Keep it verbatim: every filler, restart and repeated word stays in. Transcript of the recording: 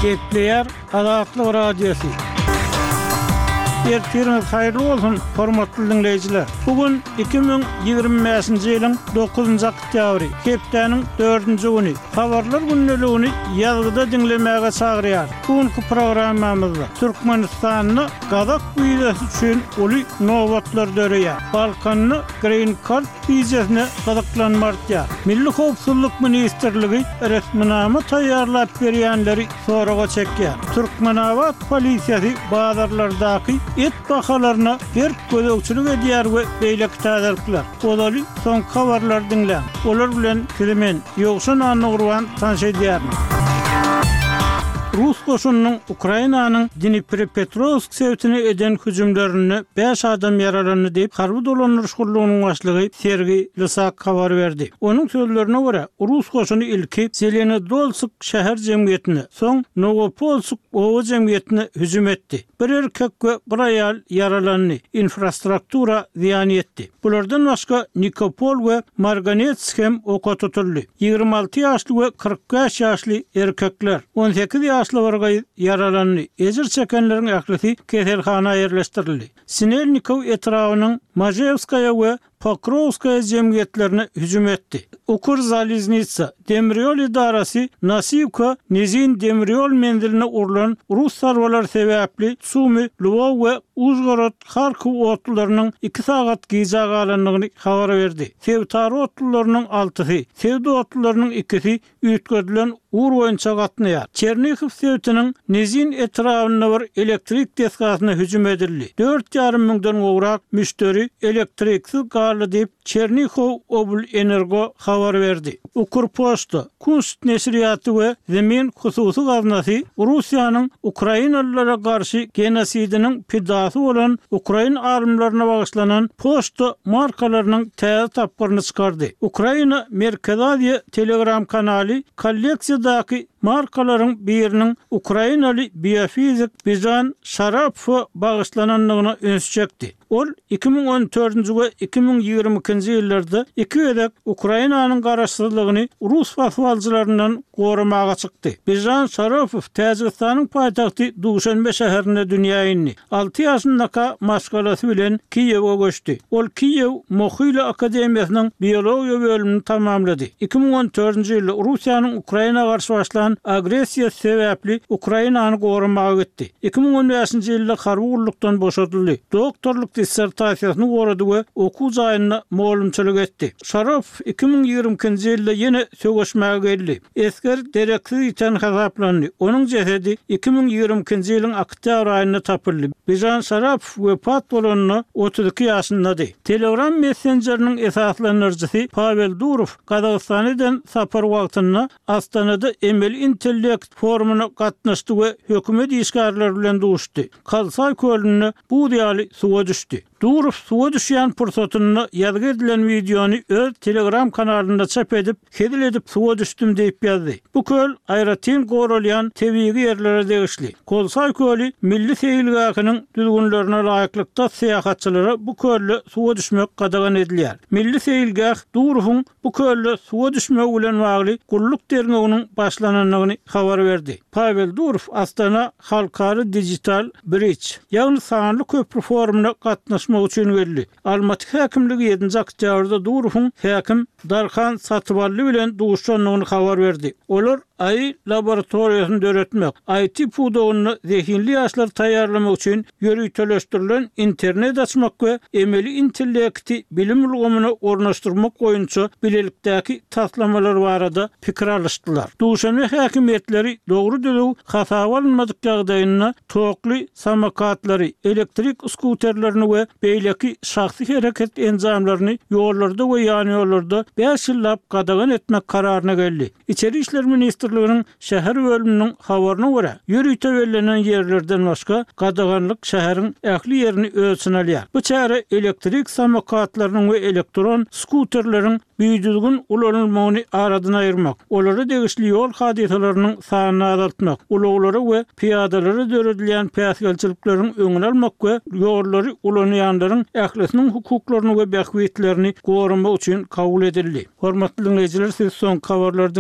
Gepleýär Azatlyk Radiosy. Ertiriňiz haýyrly bolsun, hormatly diňleýjiler! Bu gün iki müň ýigrimi bäşinji ýylyň dokuzynjy oktýabry, hepdäniň dördünji güni. Habarlar gündeligini ýazgyda diňlemäge çagyrýar. Bu günki programmamyzda Türkmenistanda gazak wizasy üçin uly nobatlar döreýär. Balkanda Green Card wizasyna gyzyklanma artýar. Milli howpsuzlyk ministrligi resminama taýýarlap berýänleri soraga çekýär. Türkmenabat polisiýasy bazarlardaky et bahalaryna berk gözegçilik edýär we beýleki täzelikler. Ozaly soňky habarlary diňläň. Olar bilen sizi men, Ýowşan Annagurban tanyş edýärin. Rus goşunynyň Ukrainanyň Dniprepetrowsk sebitine eden hüjümlerinde bäş adam ýaralandy diýip, harby dolandyryş gullugynyň başlygy Sergiý Lysak habar berdi. Onuň sözlerine görä, rus goşuny ilki Zelenodolsk şäher jemgyýetine, soň Nowopolsk oba jemgyýetine hüjüm etdi. Bir erkek we bir aýal ýaralandy, infrastruktura zyýan ýetdi. Bulardan başga, Nikopol we Marganets hem oka tutuldy. Ýigrimi alty ýaşly we kyrk bäş ýaşly erkekler, on sekiz ýaşly bir gyz ýaralandy. Ejir çekenleriň ählisi keselhana ýerleşdirildi. Sinelnikow etrabynyň Mažewskaýa we Pokrowskaýa jemgyýetlerine hüjüm etdi. Ukrzaliznitsa demirýol edarasy Nasiwka Nizin demirýol menziline urlan rus zarbalary sebäpli Sumy, Lwow we Užgorod, Harkow otlularynyň iki sagat gijä galandygyny habar berdi. Sebitara otlularynyň altysy, sebit otlularynyň ikisi üýtgedilen ugur boýunça gatnaýar. Çernihiw sebitiniň Nizin etrabynda bir elektrik desgasyna hüjüm edildi. Dört ýarym müňden gowrak müşderi elektriksiz galdy diýip, Çernihow oblenergo habar berdi. Ukrpoçta, Kunst neşirýaty we Zemin hususy gaznasy Russiýanyň ukrainalylara garşy genosidiniň pidasy bolan ukrain alymlaryna bagyşlanan poçta markalarynyň täze tapgyryny çykardy. Ukraina Merkezi Aziýa Telegram kanaly kolleksiýadaky markalaryň biriniň ukrainaly biofizik Bižan Şarapowa bagyşlanandygyna üns çekdi. Ol iki müň on dördünji we iki müň ýigrimi ikinji ýyllarda iki gezek Ukrainanyň garaşsyzlygyny rus basybalyjylaryndan goramaga çykdy. Bižan Şarapow Täjigistanyň paýtagty Duşanbe şäherinde dünýä indi. Alty ýaşyndaka maşgalasy bilen Kiýewe göçdi. Ol Kiýew Mohyla akademiýasynyň biologiýa bölümini tamamlady. Iki müň on dördünji ýylda Russiýanyň Ukraina garşy başlan agressiýasy sebäpli Ukrainany goramaga gitdi. Iki müň on bäşinji ýylda harby gullukdan boşadyldy. Doktorlyk dissertasiýasyny gorady we okuw jaýynda mugallymçylyk etdi. Şaropow iki müň ýigrimi ikinji ýylda ýene söweşmäge geldi. Esger dereksiz ýiten hasaplandy. Onuň jesedi iki müň ýigrimi ikinji ýylyň oktýabr aýynda tapyldy. Bižan Şarapow wepat bolanda otuz iki ýaşyndady. Telegram messenjeriniň esaslandyryjysy Pawel Durow Gazagystana eden sapary wagtynda Astanada emeli intellekt forumyna gatnaşdy we hökümet işgärleri bilen duşdy. Kolsaý kölünde buz ýaly suwa düşdi. Durow suwa düşýän pursatynda ýazgy edilen wideony öz Telegram kanalynda çap edip, Hezil edip suwa düşdüm diýip ýazdy. Bu köl aýratyn goralýan tebigy ýerlere degişli. Kolsaý köli milli seýilgähiniň düzgünlerine laýyklykda syýahatçylara bu kölde suwa düşmek gadagan edilýär. Milli seýilgäh Durowyň bu kölde suwa düşmegi bilen bagly gulluk derňewiniň başlanandygyny habar berdi. Pawel Durow Astana halkara digital bridge, ýagny sanly köpri forumyna gatnaşmak üçin geldi. Almaty häkimligi ýedinji oktýabrda Durowyň häkim Darhan Satybally bilen duşandygyny habar berdi. Olar A I laboratoriýasyny döretmek, I T pudagynda zehinli ýaşlary taýýarlamak üçin ýöriteleşdirilen internet açmak we emeli intellekti bilim ulgamyna ornaşdyrmak boýunça bilelikdäki taslamalar barada pikir alyşdylar. Duşanbe häkimiýetleri dogry-düzüw hasaba alynmadyk ýagdaýynda tokly samokatlary, elektrik skuterlerini we beýleki şahsy hereket enjamlaryny ýollarda we ýanýollarda bäş ýyllap gadagan etmek kararyna geldi. Içeri işler ministrliginiň şäher bölüminiň habaryna görä, ýörite bellenen ýerlerden başga gadaganlyk şäheriň ähli ýerini öz içine alýar. Bu çäre elektrik samokatlarynyň we elektron skuterleriň bidüzgün ulanylmagyny aradan aýyrmak, olara degişli ýol hadysalarynyň sanyny azaltmak, ulaglara we pyýadalara döredilýän päsgelçilikleriň öňüni almak we ýollary ulanýanlaryň ählisiniň hukuklaryny we bähbitlerini goramak üçin kabul edildi. Hormatly diňleýjiler, siz soňky habarlary diňlediňiz.